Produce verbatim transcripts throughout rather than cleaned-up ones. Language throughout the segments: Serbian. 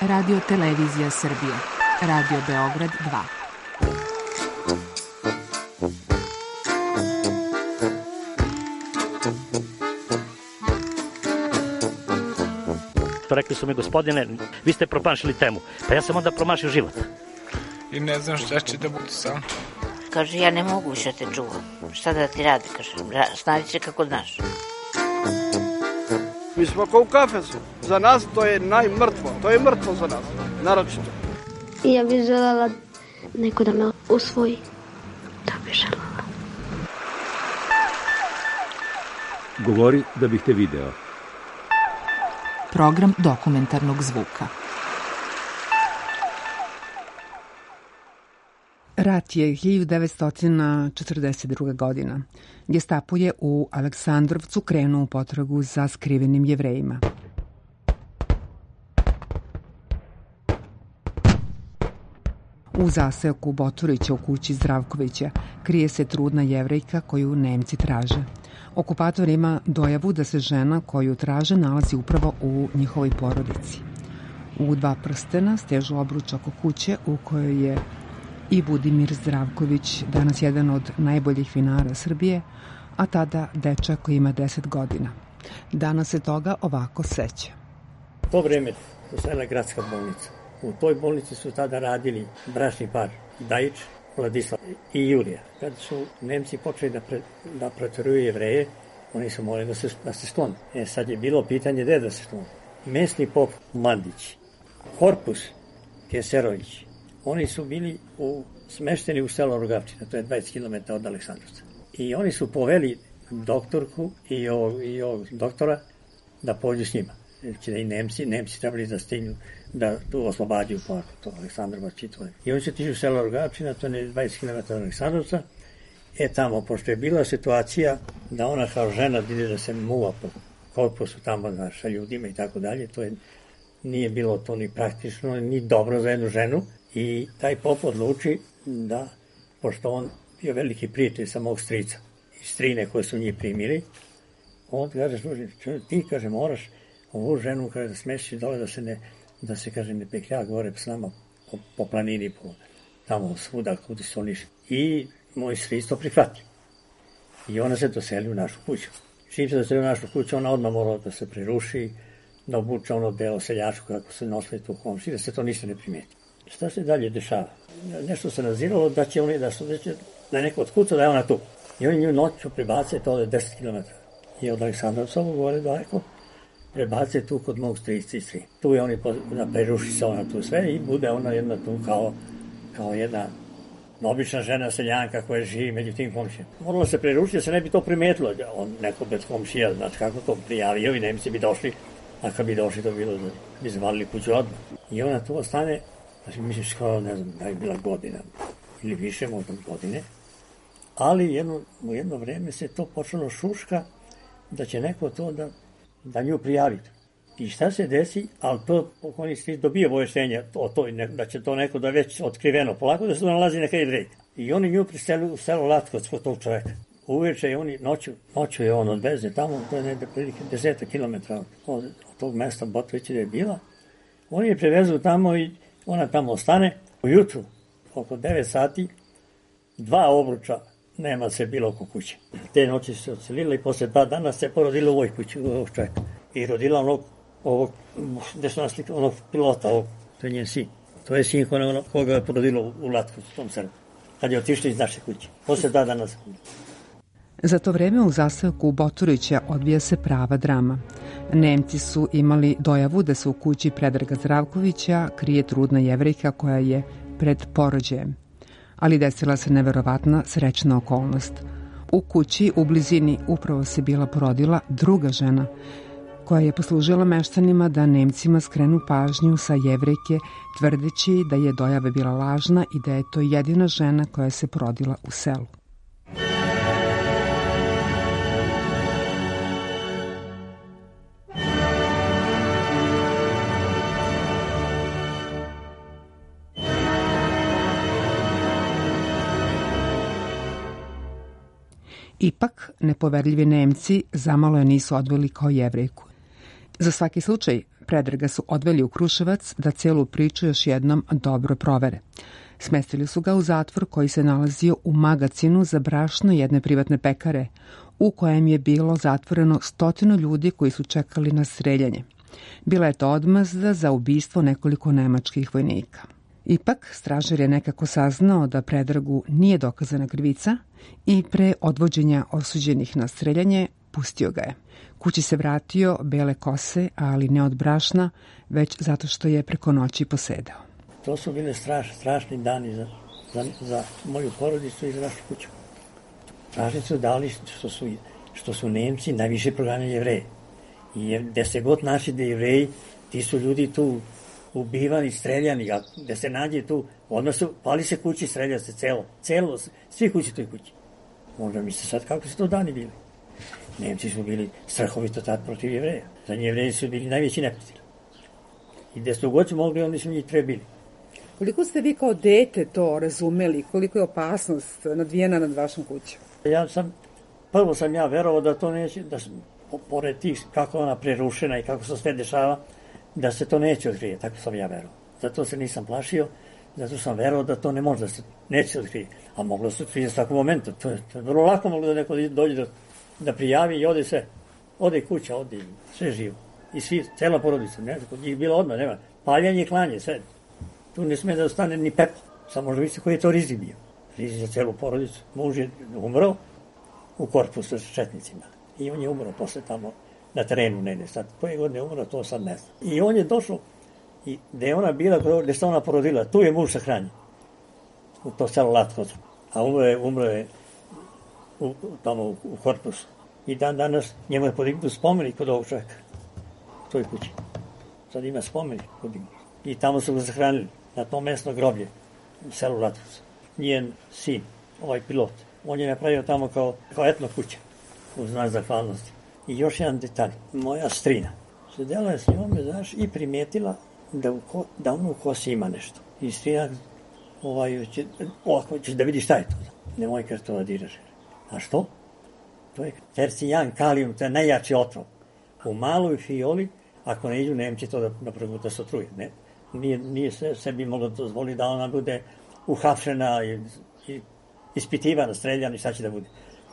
Radio Televizija Srbije, Radio Beograd dva. Rekli su mi, gospodine, vi ste promašili temu. Pa ja sam onda promašio život. I ne znam šta će da bude sam. Kaže, ja ne mogu više te čuvam. Šta da ti radi, kaže, snađi se kako znaš. Mi smo kao u kafesu. Za nas to je najmrtvo. To je mrtvo za nas, naročito. Ja bih želela neko da me usvoji. To bih želela. Govori da bih te video. Program dokumentarnog zvuka. Rat je hiljadu devetsto četrdeset druga. godina. Gestapo je u Aleksandrovcu krenuo u potragu za skrivenim Jevrejima. U zaseoku Boturića u kući Zdravkovića krije se trudna Jevrejka koju Nemci traže. Okupator ima dojavu da se žena koju traže nalazi upravo u njihovoj porodici. U dva prstena stežu obruč oko kuće u kojoj je i Budimir Zdravković, danas jedan od najboljih vinara Srbije, a tada dečak koji ima deset godina. Danas se toga ovako seća. To vreme postojala je gradska bolnica. U toj bolnici su tada radili bračni par Dajić, Vladislav i Jurija. Kada su Nemci počeli da, pre, da proteruju Jevreje, oni su morali da se, da se sklone. E, sad je bilo pitanje gde da se sklone. Mesni pop Mandić, Korpus Keserović, oni su bili u, smešteni u selo Rogavčina, to je dvadeset kilometara od Aleksandrovca. I oni su poveli doktorku i ovog, i ovog doktora da pođu s njima. Znači da i Nemci, Nemci trebali da stignu, da tu oslobađaju parku, to Aleksandrovac i to. I oni su tišli u selo Rogavčina, to je dvadeset kilometara od Aleksandrovca. E tamo, pošto je bila situacija da ona kao žena ide da se muva po korpusu tamo znaš, sa ljudima i tako dalje, to je, nije bilo to ni praktično, ni dobro za jednu ženu. I taj pop odluči da, pošto on bio veliki prijatelj sa mog strica i strine koje su njih primili, on kaže, služi, ti, kaže, moraš ovu ženu, kaže, da smestiš dole, da se ne, da se, kaže, ne peklja gore s nama po, po planini, po, tamo svuda, kudi su oni. I moj stric to prihvati. I ona se doseli u našu kuću. Čim se doseli u našu kuću, ona odmah morala da se preruši, da obuče ono belo seljačko, kako se nosili tu komši, da se to ništa ne primeti. Šta se dalje dešava? Nešto se naziralo da će oni, da su, da će, da je neko otkuca, da je ona tu. I oni nju noću prebace to je deset kilometara. I od Aleksandrovca govore daleko, prebace tu kod mog strica i stri. Tu je oni, da preruši se ona tu sve i bude ona jedna tu kao, kao jedna obična žena seljanka koja živi među tim komšijama. Moralo se prerušiti da se ne bi to primetilo. On neko bez komšija, znači kako to prijavio i Nemci bi došli, a kad bi došli to bilo da bi zavalili kuću odmah. I ona tu ostane, znači misliš kao, ne znam, da je bila godina ili više možda godine, ali jedno, u jedno vreme se to počelo šuška da će neko to da, da nju prijavi. I šta se desi, ali to oni svi dobije obaveštenja o to, da će to neko da već otkriveno polako, da se to nalazi neka Jevrejka. I oni nju priseli u selo Latkovac kod tog čoveka. Uveče je oni, noću, noću je on odveze tamo, to je negde prilike deseta kilometra od, od tog mesta Botovića da je bila. Oni je prevezu tamo i ona tamo ostane. Ujutru, oko devet sati, dva obruča nema se bilo oko kuće. Te noći se odselila i posle dva dana se porodila u ovoj kući, u ovog čoveka. I rodila onog, ovog, gde su naslika, onog pilota, ovog, to je njen sin. To je sin koga, koga je porodilo u Latku, u tom selu. Kad je otišli iz naše kuće. Posle dva dana se. Za to vreme u zaseoku Boturića odvija se prava drama. Nemci su imali dojavu da se u kući Predraga Zdravkovića krije trudna Jevrejka koja je pred porođajem. Ali desila se neverovatna srećna okolnost. U kući u blizini upravo se bila porodila druga žena koja je poslužila meštanima da Nemcima skrenu pažnju sa Jevrejke, tvrdeći da je dojava bila lažna i da je to jedina žena koja se porodila u selu. Ipak, nepoverljivi Nemci zamalo je nisu odveli kao Jevrejku. Za svaki slučaj, Predraga su odveli u Kruševac da celu priču još jednom dobro provere. Smestili su ga u zatvor koji se nalazio u magacinu za brašno jedne privatne pekare, u kojem je bilo zatvoreno stotinu ljudi koji su čekali na streljanje. Bila je to odmazda za ubistvo nekoliko nemačkih vojnika. Ipak, stražar je nekako saznao da Predragu nije dokazana krivica i pre odvođenja osuđenih na streljanje pustio ga je. Kući se vratio bele kose, ali ne od brašna, već zato što je preko noći posedao. To su bile straš, strašni dani za, za, za moju porodicu i za našu kuću. Strašni su dali što su, što su Nemci najviše proganjali Jevreje. I gde se god naši da Jevreji, ti su ljudi tu ubivani, streljani, a gde se nađe tu, odmah su, pali se kući, strelja se celo, celo, svi kući toj kući. Možda mi se sad kako su to dani bili. Nemci su bili strahovito tad protiv Jevreja. Za Jevreji su bili najveći neprijatelji. I gde su god su mogli, oni su njih trebili. Koliko ste vi kao dete to razumeli? Koliko je opasnost nadvijena nad vašom kućom? Ja sam, prvo sam ja verovao da to neće, da sam, pored tih kako ona prerušena i kako se sve dešava, da se to neće otkrije, tako sam ja verovao. Zato se nisam plašio, zato sam verovao da to ne može da se neće otkrije. A moglo se otkrije s takvom momentu. To je, to je vrlo lako moglo da neko dođe da, da prijavi i ode sve. Ode kuća, ode sve živo. I svi, cela porodica, ne, kod njih bilo odmah, nema. Paljanje i klanje, sve. Tu ne sme da ostane ni pepla. Samo možda vidite koji je to rizik bio. Rizik za celu porodicu. Muž je umro u korpusu sa četnicima. I on je umro posle tamo na terenu negde. Sad, koje godine je umro, to sad ne znam. I on je došao, i gde je ona bila, gde se ona porodila, tu je muž sahranjen. U to selo Latko. A umro je, umro je u, tamo u, u korpusu. I dan danas njemu je podignut spomenik kod ovog čovjeka. U toj kući. Sad ima spomenik podignut. I tamo su ga sahranili, na to mesno groblje, u selu Latkovac. Njen sin, ovaj pilot, on je napravio tamo kao, kao etno kuća, u znak zahvalnosti. I još jedan detalj, moja strina, sedela je s njome, znaš, i primetila da, u ko, da ono u kosi ima nešto. I strina, ovaj, će, ovako, ćeš da vidi šta je to. Nemoj kar to da diraš. A što? To je tercijan kalijum, to je najjači otrov. U maloj fioli, ako ne iđu Nemci to da, da, da se otruje, ne? Nije, nije se, sebi moglo dozvoli da ona bude uhapšena i, i ispitivana, streljana i šta će da bude.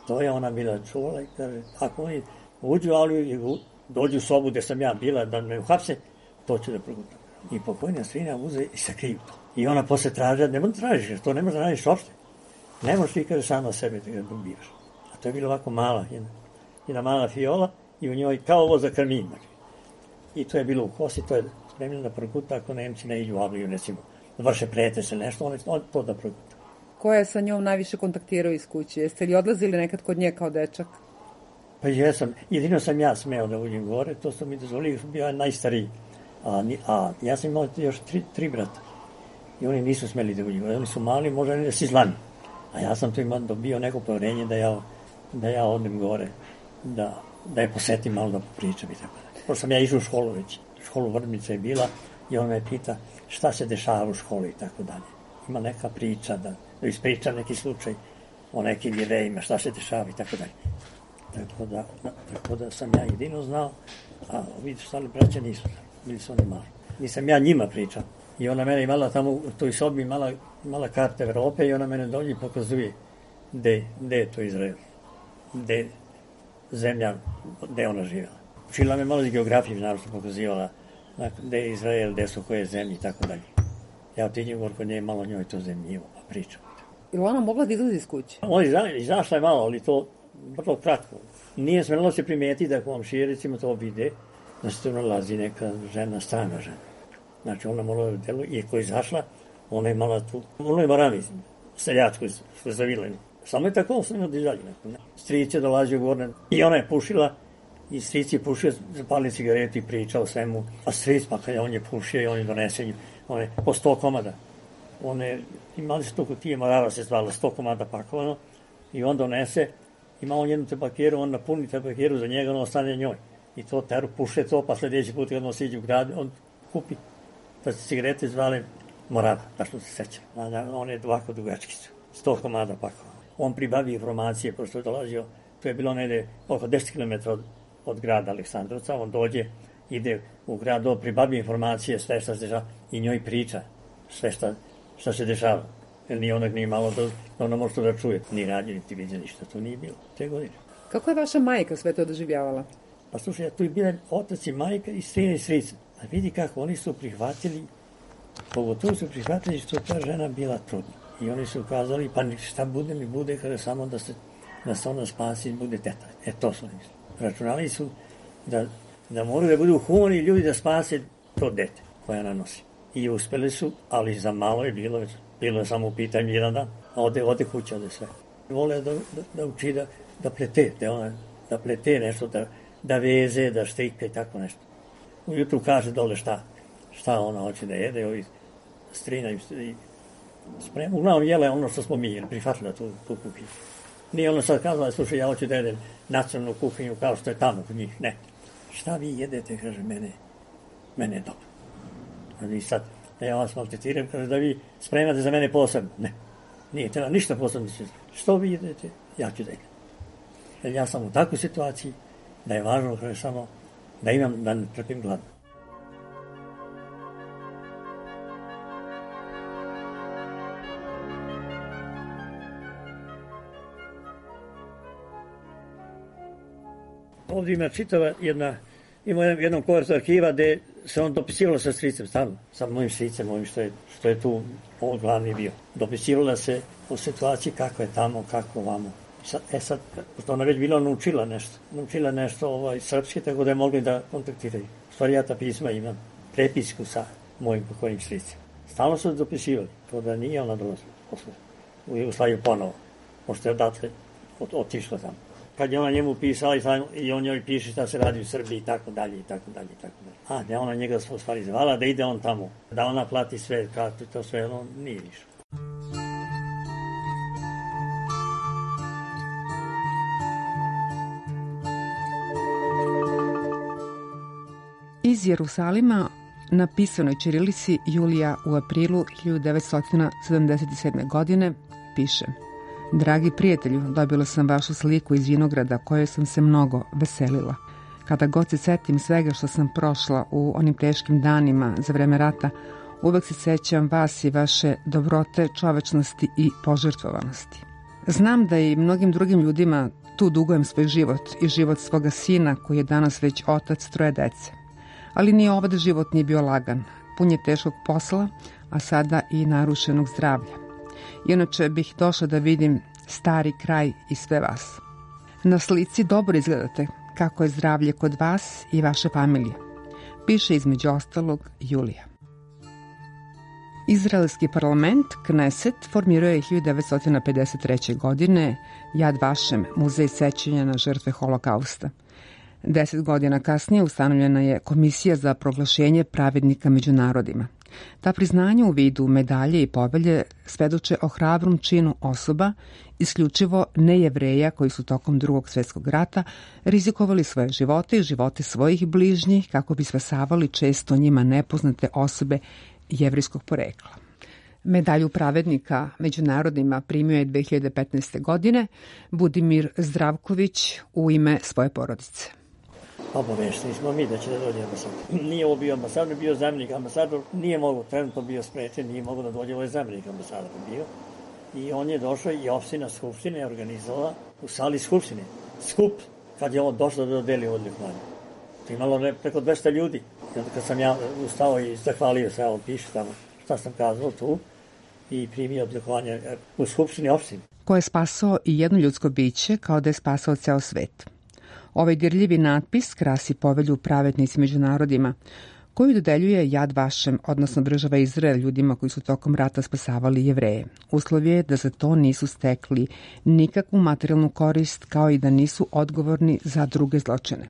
To je ona bila čuvala i kaže, ako oni uđu u Aliju i dođu u sobu gde sam ja bila da me uhapse, to ću da progutam. I pokojna strina uze i sakriju to. I ona posle traže, ne možeš tražiš, jer to ne možeš da radiš uopšte. Ne možeš ti kaže sama sebe da ga ubivaš. A to je bilo ovako mala, jedna, jedna mala fiola i u njoj kao ovo za karmin. I to je bilo u kosi, to je spremljeno da proguta ako Nemci ne iđu u Avliju, recimo, vrše pretese nešto, on, on to da proguta. Ko je sa njom najviše kontaktirao iz kuće? Jeste li odlazili nekad kod nje kao dečak? Pa jesam, jedino sam ja smeo da uđem gore, to su mi dozvolili, bio je najstariji. A, a ja sam imao još tri, tri brata i oni nisu smeli da uđu gore, oni su mali, možda ne da si zlani. A ja sam tu imao dobio neko povjerenje da ja, da ja odem gore, da, da je posetim malo da popričam i tako da. Pošto sam ja išao u školu već, školu Vrbnica je bila i on me pita šta se dešava u školi i tako dalje. Ima neka priča, da, da ispriča neki slučaj o nekim Jevrejima, šta se dešava i tako dalje. Tako da, tako da sam ja jedino znao, a vidiš, stali braća nisu znali, bili su oni mali. Nisam ja njima pričao. I ona mene imala tamo u toj sobi, imala, imala karte Evrope i ona mene dođe i pokazuje gde, gde je to Izrael, gde zemlja, gde ona živjela. Učila me malo iz geografije, naravno pokazivala gde je Izrael, gde su koje zemlje i tako dalje. Ja otiđem govor kod nje, malo njoj to zemljivo, pa pričam. Ili ona mogla da izlazi iz kuće? On izašla je malo, ali to vrlo kratko. Nije smelo se primetiti da komšije, recimo, to vide, da se tu nalazi neka žena, strana žena. Znači, ona morala da delu, i ako je izašla, ona je mala tu, ona je marami, seljačko što je zavileni. Samo je tako, sam da izađe neko. Stric je dolazio gore i ona je pušila, i stric je pušio, zapalio cigaretu i pričao o svemu. A stric, pa kada on je pušio i on je donesen, on je po sto komada. One, imali sto kutije, Morava se zvala, sto komada pakovano, i on donese, ima on jednu tabakeru, on napuni tabakeru za njega, on ostane njoj. I to teru, puše to, pa sljedeći put kad on siđe u grad, on kupi, pa se cigarete zvale Morava, tačno se sećam. On je ovako dugački su, sto komada pakovano. On pribavi informacije, pošto je dolazio, to je bilo negde oko deset kilometara od, od grada Aleksandrovca, on dođe ide u grad do pribavlja informacije, sve što se dešava i njoj priča sve što, što se dešava. Jer ni onak nije malo da, da ona može to da čuje. Ni radnje, niti vidio ništa, to nije bilo. Te godine. Kako je vaša majka sve to doživljavala? Pa slušaj, tu je bila otac i majka i strina i strica. A vidi kako, oni su prihvatili, pogotovo su prihvatili što ta žena bila trudna. I oni su ukazali, pa šta bude mi bude kada samo da se, da se ona spasi i bude teta. E to su oni. Računali su da, da moraju da budu humani ljudi da spase to dete koje ona nosi. I uspeli su, ali za malo je bilo, bilo je samo u pitanju jedan dan. A ode, ode kuća, ode sve. Vole da, da, da uči da, da plete, da, ona, da plete nešto, da, da veze, da štrika i tako nešto. Ujutru kaže dole šta, šta ona hoće da jede, ovi strina i sprema. Uglavnom jele ono što smo mi, jer prihvatila tu, tu kuhinju. Nije ona sad kazala, slušaj, ja hoću da jedem nacionalnu kuhinju kao što je tamo kod njih. Ne. Šta vi jedete, kaže, mene, mene je dobro. I sad, ja vas maltretiram, kaže da vi spremate za mene posebno. Ne, nije treba ništa posebno. Što vi jedete, ja ću da jedem. Jer ja sam u takvoj situaciji da je važno, kaže, samo da imam, da ne trpim gladno. Ovdje ima čitava jedna, ima jednom kovertu arhiva gde se on dopisivalo sa stricem, stalno, sa mojim stricem, mojim što je, što je tu on glavni bio. Dopisivala se o situaciji kako je tamo, kako vamo. Sad, e sad, pošto ona već bila naučila nešto, naučila nešto ovaj, srpski, tako da je mogli da kontaktiraju. U stvari ja ta pisma imam, prepisku sa mojim pokojnim stricem. Stalno su dopisivali, to da nije ona dolazila posle u Jugoslaviju ponovo, pošto je odatle otišla tamo. Kad je ona njemu pisala i on njoj piše šta se radi u Srbiji i tako dalje i tako dalje i tako dalje. A da ona njega u stvari zvala da ide on tamo, da ona plati sve, kartu i to sve, on nije išao. Iz Jerusalima na pisanoj ćirilici Julija u aprilu hiljadu devetsto sedamdeset sedme. godine piše: Dragi prijatelju, dobila sam vašu sliku iz vinograda kojoj sam se mnogo veselila. Kada god se setim svega što sam prošla u onim teškim danima za vreme rata, uvek se sećam vas i vaše dobrote, čovečnosti i požrtvovanosti. Znam da i mnogim drugim ljudima tu dugujem svoj život i život svoga sina koji je danas već otac troje dece. Ali ni ovaj život nije bio lagan, pun je teškog posla, a sada i narušenog zdravlja. Inače bih došla da vidim stari kraj i sve vas. Na slici dobro izgledate kako je zdravlje kod vas i vaše familije. Piše između ostalog Julija. Izraelski parlament Kneset formirao je hiljadu devetsto pedeset treće. godine Jad Vašem, muzej sećanja na žrtve holokausta. Deset godina kasnije ustanovljena je Komisija za proglašenje pravednika među narodima. Ta priznanja u vidu medalje i povelje svedoče o hrabrom činu osoba, isključivo nejevreja koji su tokom Drugog svjetskog rata rizikovali svoje živote i živote svojih bližnjih kako bi spasavali često njima nepoznate osobe jevrijskog porekla. Medalju pravednika među narodima primio je dve hiljade petnaeste. godine Budimir Zdravković u ime svoje porodice. Obavešteni smo mi da će da dođe ambasador. Nije ovo bio ambasador, bio zamjenik ambasador, nije mogo, trenutno bio sprečen, nije mogo da dođe, ovo je zamjenik ambasador bio. I on je došao i opština Skupštine je organizovala u sali Skupštine skup kad je on došao da dodeli odlikovanje. To imalo ne, preko dvesta ljudi. I onda kad sam ja ustao i zahvalio se, on piše tamo šta sam kazao tu i primio odlikovanje u Skupštini opštine. Ko je spasao i jedno ljudsko biće kao da je spasao ceo svet. Ovaj dirljivi natpis krasi povelju pravednici među narodima, koju dodeljuje Jad Vašem, odnosno država Izrael, ljudima koji su tokom rata spasavali Jevreje. Uslov je da za to nisu stekli nikakvu materijalnu korist, kao i da nisu odgovorni za druge zločine.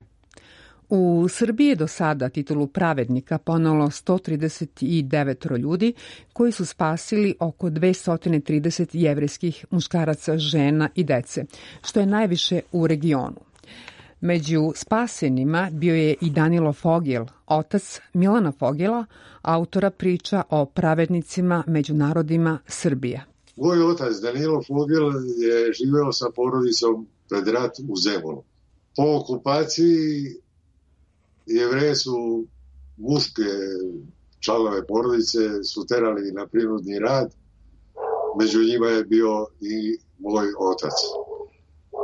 U Srbiji je do sada titulu pravednika ponelo sto trideset devet ljudi koji su spasili oko dvesta trideset jevrejskih muškaraca, žena i dece, što je najviše u regionu. Među spasenima bio je i Danilo Fogel, otac Milana Fogela, autora priča o pravednicima među narodima Srbije. Moj otac Danilo Fogel je živeo sa porodicom pred rat u Zemunu. Po okupaciji Jevreje su muške članove porodice su terali na prinudni rad, među njima je bio i moj otac.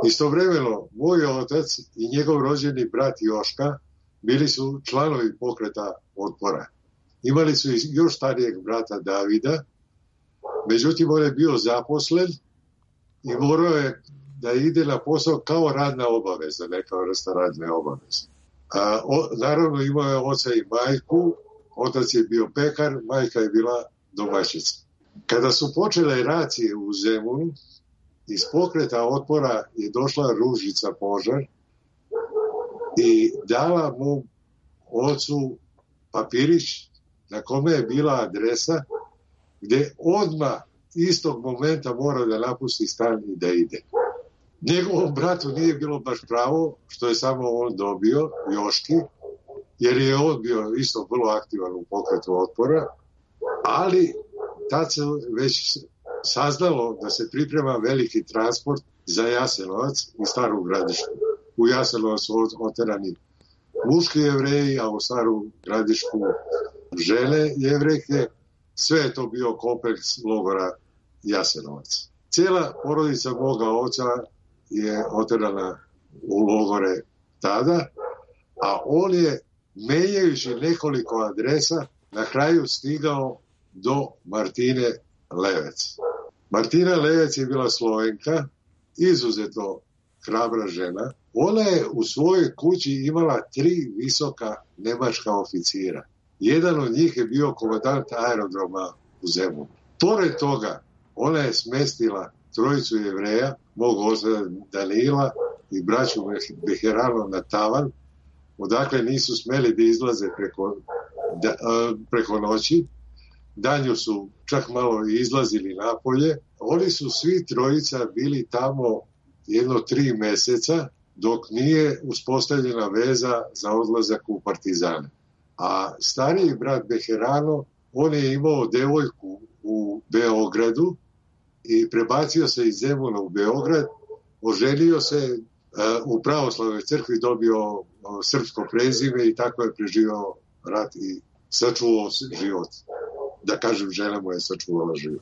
Istovremeno, moj otac i njegov rođeni brat Joška bili su članovi pokreta otpora. Imali su i još starijeg brata Davida, međutim on je bio zaposlen i morao je da ide na posao kao radna obaveza, neka vrsta radne obaveze. A, o, naravno imao je oca i majku, otac je bio pekar, majka je bila domaćica. Kada su počele racije u Zemunu, iz pokreta otpora je došla Ružica Požar i dala mu ocu papirić na kome je bila adresa gde odmah istog momenta mora da napusti stan i da ide. Njegovom bratu nije bilo baš pravo što je samo on dobio, Joški, jer je on bio isto vrlo aktivan u pokretu otpora, ali tad se već saznalo da se priprema veliki transport za Jasenovac i Staru Gradišku. U Jasenovac su oterani muški Jevreji, a u Staru Gradišku žene Jevrejke. Sve je to bio kompleks logora Jasenovac. Cijela porodica moga oca je oterana u logore tada, a on je, menjajući nekoliko adresa, na kraju stigao do Martine Levec. Martina Levec je bila Slovenka, izuzetno hrabra žena. Ona je u svojoj kući imala tri visoka nemačka oficira. Jedan od njih je bio komandant aerodroma u Zemunu. Pored toga, ona je smestila trojicu Jevreja, mog oca Danila i braću Beherano na tavan, odakle nisu smeli da izlaze preko, da, preko noći. Danju su čak malo izlazili napolje. Oni su svi trojica bili tamo jedno tri meseca dok nije uspostavljena veza za odlazak u partizane. A stariji brat Beherano, on je imao devojku u Beogradu i prebacio se iz Zemuna u Beograd, oženio se u pravoslavnoj crkvi, dobio srpsko prezime i tako je preživao rat i sačuvao život. Da kažem, žena mu je sačuvala život.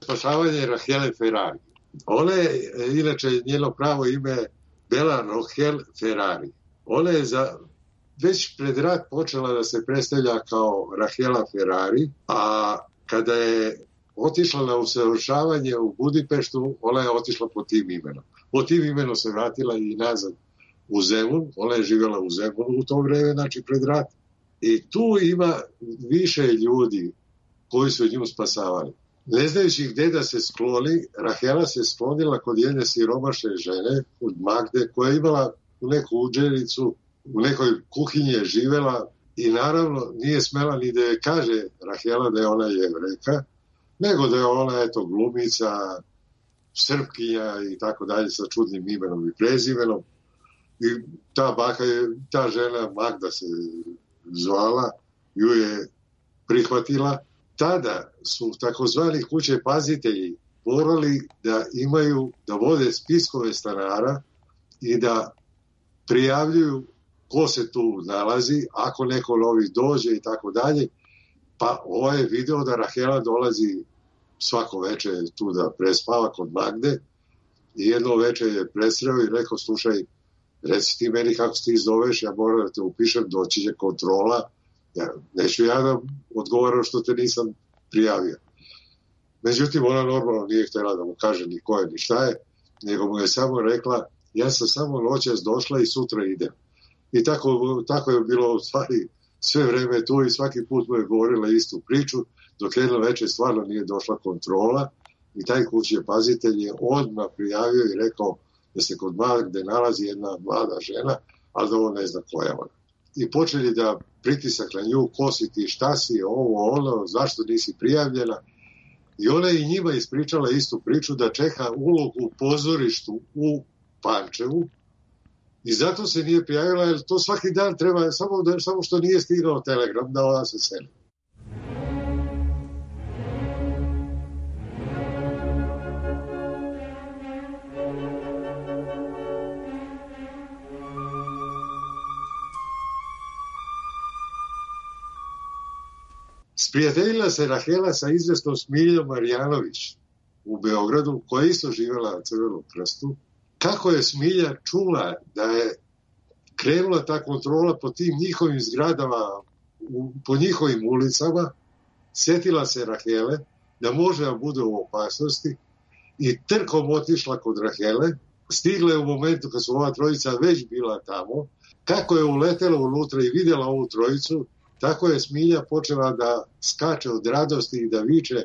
Spašavanje Rahele Ferrari. Ona je, inače, njeno pravo ime Bela Rohel Ferrari. Ona je za, već pred rat počela da se predstavlja kao Rahela Ferrari, a kada je otišla na usavršavanje u Budimpeštu, ona je otišla po tim imenom. Po tim imenom se vratila i nazad u Zemun. Ona je živjela u Zemunu u to vreme, znači pred rat. I tu ima više ljudi koji su nju spasavali. Ne znajući gde da se skloni, Rahela se sklonila kod jedne siromašne žene, od Magde, koja je imala u neku uđericu, u nekoj kuhinji je živela i naravno nije smela ni da je kaže Rahela da je ona Jevrejka, nego da je ona, eto, glumica, Srpkinja i tako dalje sa čudnim imenom i prezimenom. I ta baka je, ta žena Magda se zvala, ju je prihvatila. Tada su takozvani kuće pazitelji morali da imaju, da vode spiskove stanara i da prijavljuju ko se tu nalazi, ako neko novi dođe i tako dalje. Pa ovaj je video da Rahela dolazi svako veče tu da prespava kod Magde i jedno veče je presreo i rekao, slušaj, reci ti meni kako se ti zoveš, ja moram da te upišem, doći će kontrola. Ja, neću ja da odgovaram što te nisam prijavio. Međutim, ona normalno nije htjela da mu kaže ni ko je, ni šta je, nego mu je samo rekla, ja sam samo noćas došla i sutra idem. I tako, tako je bilo u stvari sve vreme tu i svaki put mu je govorila istu priču, dok jedno večer stvarno nije došla kontrola i taj kućni pazitelj je odmah prijavio i rekao da se kod Magde nalazi jedna mlada žena, ali da on ne zna koja je ona. I počeli da pritisak na nju, ko si ti, šta si, ovo, ono, zašto nisi prijavljena. I ona je i njima ispričala istu priču da čeka ulogu u pozorištu u Pančevu I zato se nije prijavila, jer to svaki dan treba, samo, da, samo što nije stigao telegram da ona se seli. Sprijateljila se Rahela sa izvesnom Smiljom Marjanović u Beogradu, koja je isto živjela na Crvenom krstu. Kako je Smilja čula da je krenula ta kontrola po tim njihovim zgradama, u, po njihovim ulicama, sjetila se Rahele da može da bude u opasnosti i trkom otišla kod Rahele. Stigla je u momentu kad su ova trojica već bila tamo. Kako je uletela unutra i vidjela ovu trojicu, tako je Smilja počela da skače od radosti i da viče: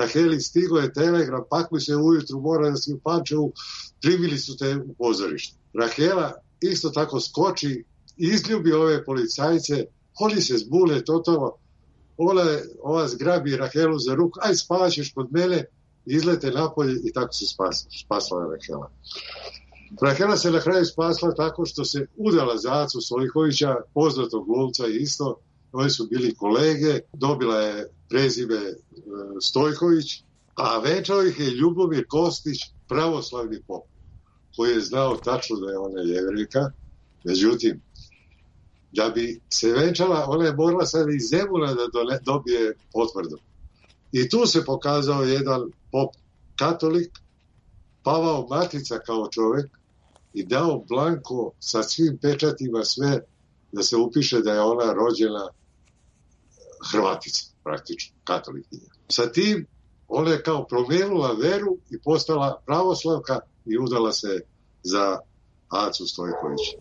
Raheli, stigo je telegram, pakuj se ujutru, mora da si u Pančevu, primili su te u pozorište. Rahela isto tako skoči, izljubi ove policajce, oni se zbune totalno, ona, ova zgrabi Rahelu za ruku, aj spavaćeš kod mene, izlete napolje i tako se spasla, spasla Rahela. Rahela se na kraju spasla tako što se udala za Acu Stojkovića, poznatog glumca isto. Oni su bili kolege, dobila je prezime e, Stojković, a venčao ih je Ljubomir Kostić, pravoslavni pop, koji je znao tačno da je ona Jevrejka. Međutim, da bi se venčala, ona je morala sad iz Zemuna da dole, dobije potvrdu. I tu se pokazao jedan pop katolik, Pavao Matica kao čovjek i dao blanko sa svim pečatima sve da se upiše da je ona rođena Hrvatica, praktično, katolikinja. Sa tim ona je kao promijenila veru i postala pravoslavka i udala se za Acu Stojkovića.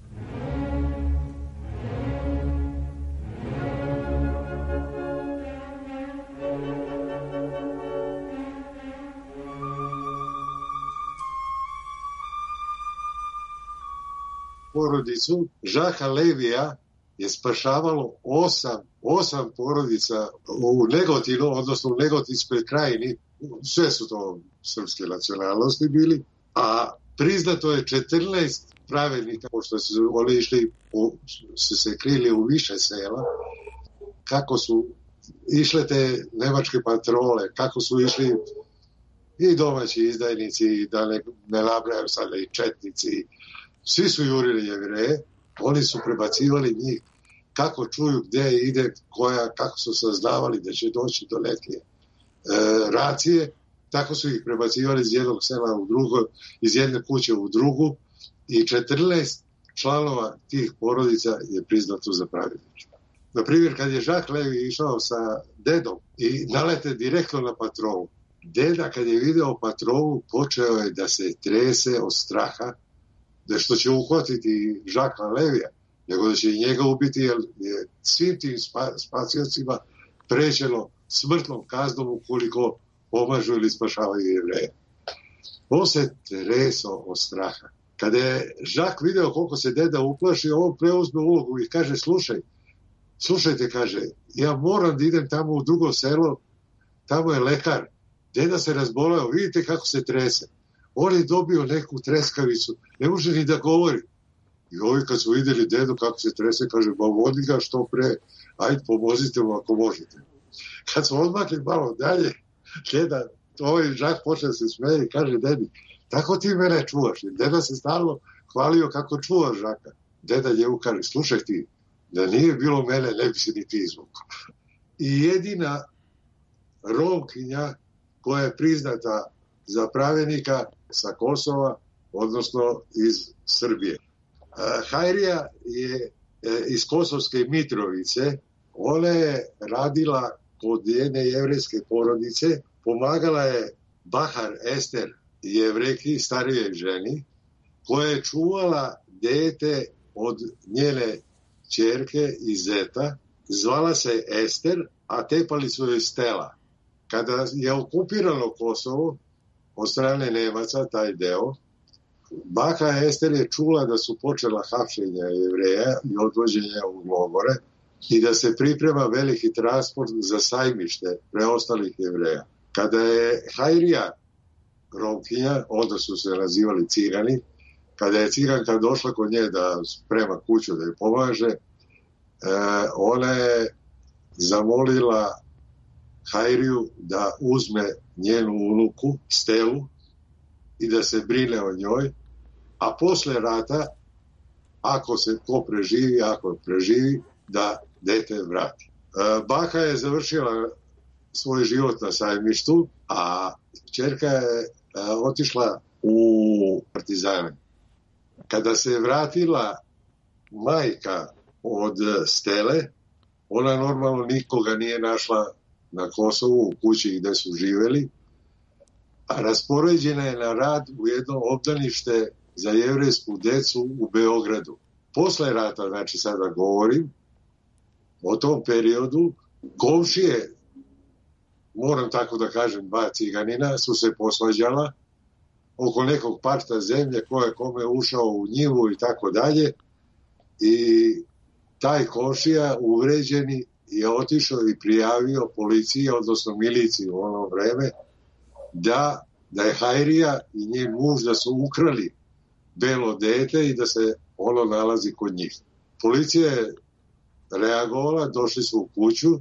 Porodicu Žaka Levija je spašavalo osam, osam porodica u Negotinu, odnosno u Negotinskoj krajini, sve su to srpske nacionalnosti bili, a priznato je četrnaest pravednika, pošto su oni išli, u, su se krili u više sela, kako su išle te nemačke patrole, kako su išli i domaći izdajnici, i da ne, ne nabrajam sada i četnici, svi su jurili Jevreje, oni su prebacivali njih kako čuju gde ide, koja, kako su saznavali da će doći do neke e, racije, tako su ih prebacivali iz jednog sela u drugo, iz jedne kuće u drugu i četrnaest članova tih porodica je priznato za pravedničke. Na primjer, kad je Žak Levi išao sa dedom i nalete direktno na patrolu, deda kad je video patrolu počeo je da se trese od straha da što će uhvatiti Žaka Levija, nego da će i njega ubiti, jer je svim tim spasiocima prećeno smrtnom kaznom ukoliko pomažu ili spašavaju Jevreje. On se tresao od straha. Kada je Žak video koliko se deda uplaši, on preuzme ulogu i kaže: slušaj, slušajte, kaže, ja moram da idem tamo u drugo selo, tamo je lekar, deda se razboleo, vidite kako se trese. On je dobio neku treskavicu, ne može ni da govori. I ovi kad su vidjeli dedu kako se trese, kaže: ba vodi ga što pre, ajde pomozite mu ako možete. Kad smo odmakli malo dalje, deda, ovaj Žak počeo se smeje i kaže dedi: tako ti mene čuvaš. I deda se stalno hvalio kako čuva Žaka. Deda njemu kaže: slušaj ti, da nije bilo mene, ne bi se ni ti izvukao. I jedina Romkinja koja je priznata za pravednika sa Kosova, odnosno iz Srbije. Hajrija je iz Kosovske Mitrovice, ona je radila kod jedne jevrejske porodice, pomagala je Bahar Ester, Jevrejki, starijoj ženi, koja je čuvala dete od njene ćerke i zeta, zvala se Ester, a tepali su joj Stela. Kada je okupirano Kosovo od strane Nemaca, taj deo, baka Ester je čula da su počela hapšenja Jevreja i odvođenja u logore i da se priprema veliki transport za sajmište preostalih Jevreja. Kada je Hajrija, Romkinja, onda su se nazivali Cigani, kada je ciganka došla kod nje da sprema kuću, da joj pomaže, e, ona je zamolila Hajriju da uzme njenu unuku, Stelu, i da se brine o njoj, a posle rata, ako se ko preživi, ako preživi, da dete vrati. E, baka je završila svoj život na Sajmištu, a ćerka je e, otišla u partizane. Kada se vratila majka od Stele, ona normalno nikoga nije našla na Kosovu, u kući gde su živeli, a raspoređena je na rad u jedno obdanište za jevrejsku decu u Beogradu. Posle rata, znači sada govorim, o tom periodu, komšije, moram tako da kažem, dva ciganina su se posvađala oko nekog parta zemlje ko je kome ušao u njivu i tako dalje, i taj komšija uvređeni je otišao i prijavio policiji, odnosno miliciji u ono vreme, da, da je Hajrija i njen muž da su ukrali belo dete i da se ono nalazi kod njih. Policija je reagovala, došli su u kuću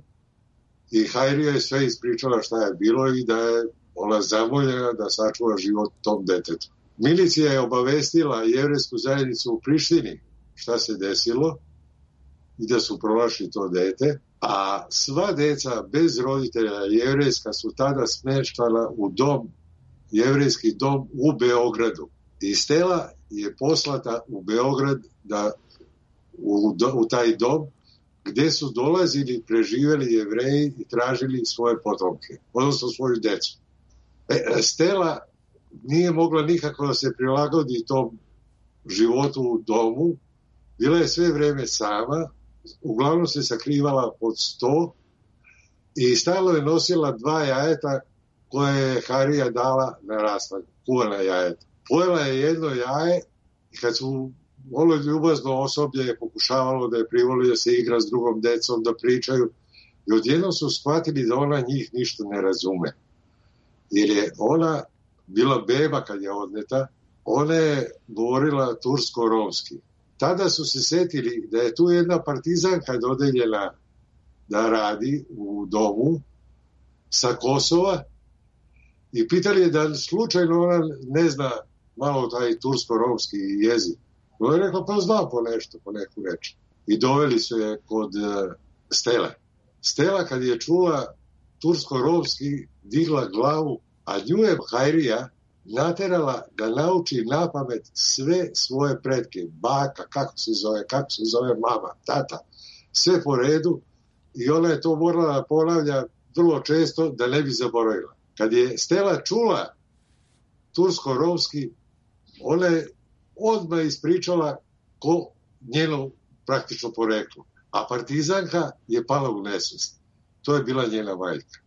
i Hajrija je sve ispričala šta je bilo i da je ona zamoljena da sačuva život tom detetu. Milicija je obavestila jevrejsku zajednicu u Prištini šta se desilo i da su pronašli to dete, a sva deca bez roditelja jevrejska su tada smeštana u dom, jevrejski dom u Beogradu. I Stela je poslata u Beograd da, u, u taj dom gde su dolazili preživeli Jevreji i tražili svoje potomke, odnosno svoju decu. E, Stela nije mogla nikako da se prilagodi tom životu u domu, bila je sve vreme sama, uglavnom se sakrivala pod sto i stalno je nosila dva jajeta koje je Harija dala na raslag, kuvana jajeta. Pojela je jedno jaje i kad su ono ljubazno osoblje je pokušavalo da je privoli da se igra s drugom decom, da pričaju, i odjednom su shvatili da ona njih ništa ne razume. Jer je ona bila beba kad je odneta, ona je govorila tursko-romski. Tada su se setili da je tu jedna partizanka dodeljena da radi u domu sa Kosova i pitali je da slučajno ona ne zna malo taj tursko-romski jezik. Ona je rekla, pa zna po nešto, po neku reč. I doveli su je kod Stele. Stela kad je čula tursko-romski, digla glavu, a nju je Hajrija naterala da nauči napamet sve svoje pretke, baka, kako se zove, kako se zove mama, tata, sve po redu, i ona je to morala da ponavlja vrlo često da ne bi zaboravila. Kad je Stela čula tursko-romski, ona je odmah ispričala ko njeno praktično poreklo, a partizanka je pala u nesvest. To je bila njena majka.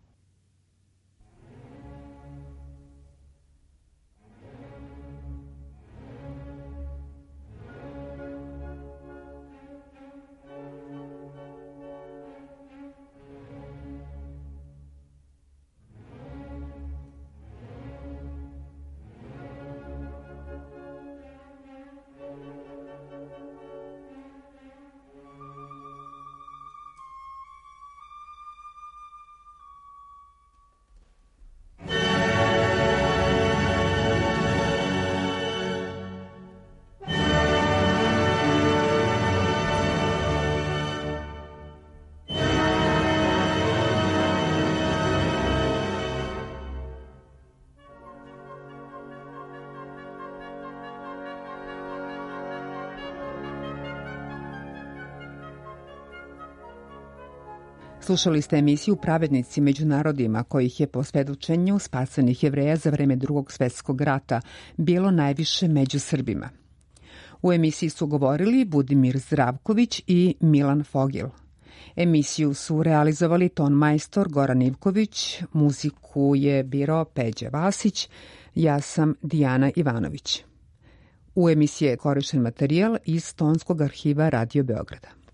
Slušali ste emisiju Pravednici među narodima, kojih je po svedočenju spasenih Jevreja za vreme Drugog svetskog rata bilo najviše među Srbima. U emisiji su govorili Budimir Zdravković i Milan Fogil. Emisiju su realizovali ton majstor Goran Ivković, muziku je birao Peđa Vasić, ja sam Dijana Ivanović. U emisiji je korišten materijal iz Tonskog arhiva Radio Beograda.